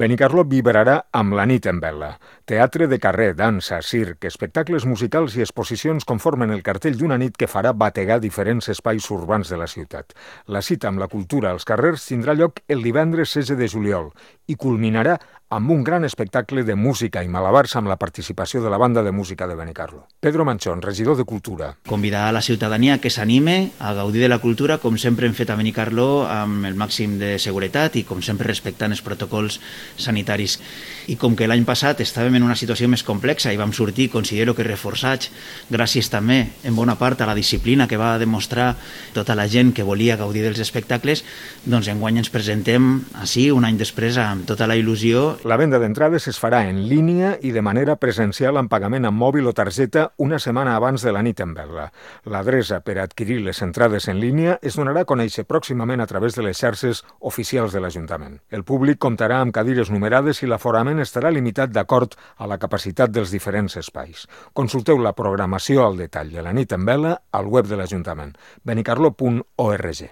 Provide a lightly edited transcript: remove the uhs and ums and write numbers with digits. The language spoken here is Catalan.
Benicarló vibrarà amb la nit en vela. Teatre de carrer, dansa, circ, espectacles musicals i exposicions conformen el cartell d'una nit que farà bategar diferents espais urbans de la ciutat. La cita amb la cultura als carrers tindrà lloc el divendres 16 de juliol i culminarà amb un gran espectacle de música i malabars amb la participació de la banda de música de Benicarló. Pedro Manchón, regidor de Cultura. Convidar a la ciutadania que s'anime a gaudir de la cultura, com sempre hem fet a Benicarló, amb el màxim de seguretat i com sempre respectant els protocols sanitaris. I com que l'any passat estàvem en una situació més complexa i vam sortir, considero que reforçats, gràcies també en bona part a la disciplina que va demostrar tota la gent que volia gaudir dels espectacles, doncs enguany ens presentem així, un any després, amb tota la il·lusió. La venda d'entrades es farà en línia i de manera presencial amb pagament amb mòbil o targeta una setmana abans de la nit en vela. L'adreça per adquirir les entrades en línia es donarà a conèixer pròximament a través de les xarxes oficials de l'Ajuntament. El públic comptarà amb cadires numerades i l'aforament estarà limitat d'acord a la capacitat dels diferents espais. Consulteu la programació al detall de la nit en vela al web de l'Ajuntament, benicarló.org.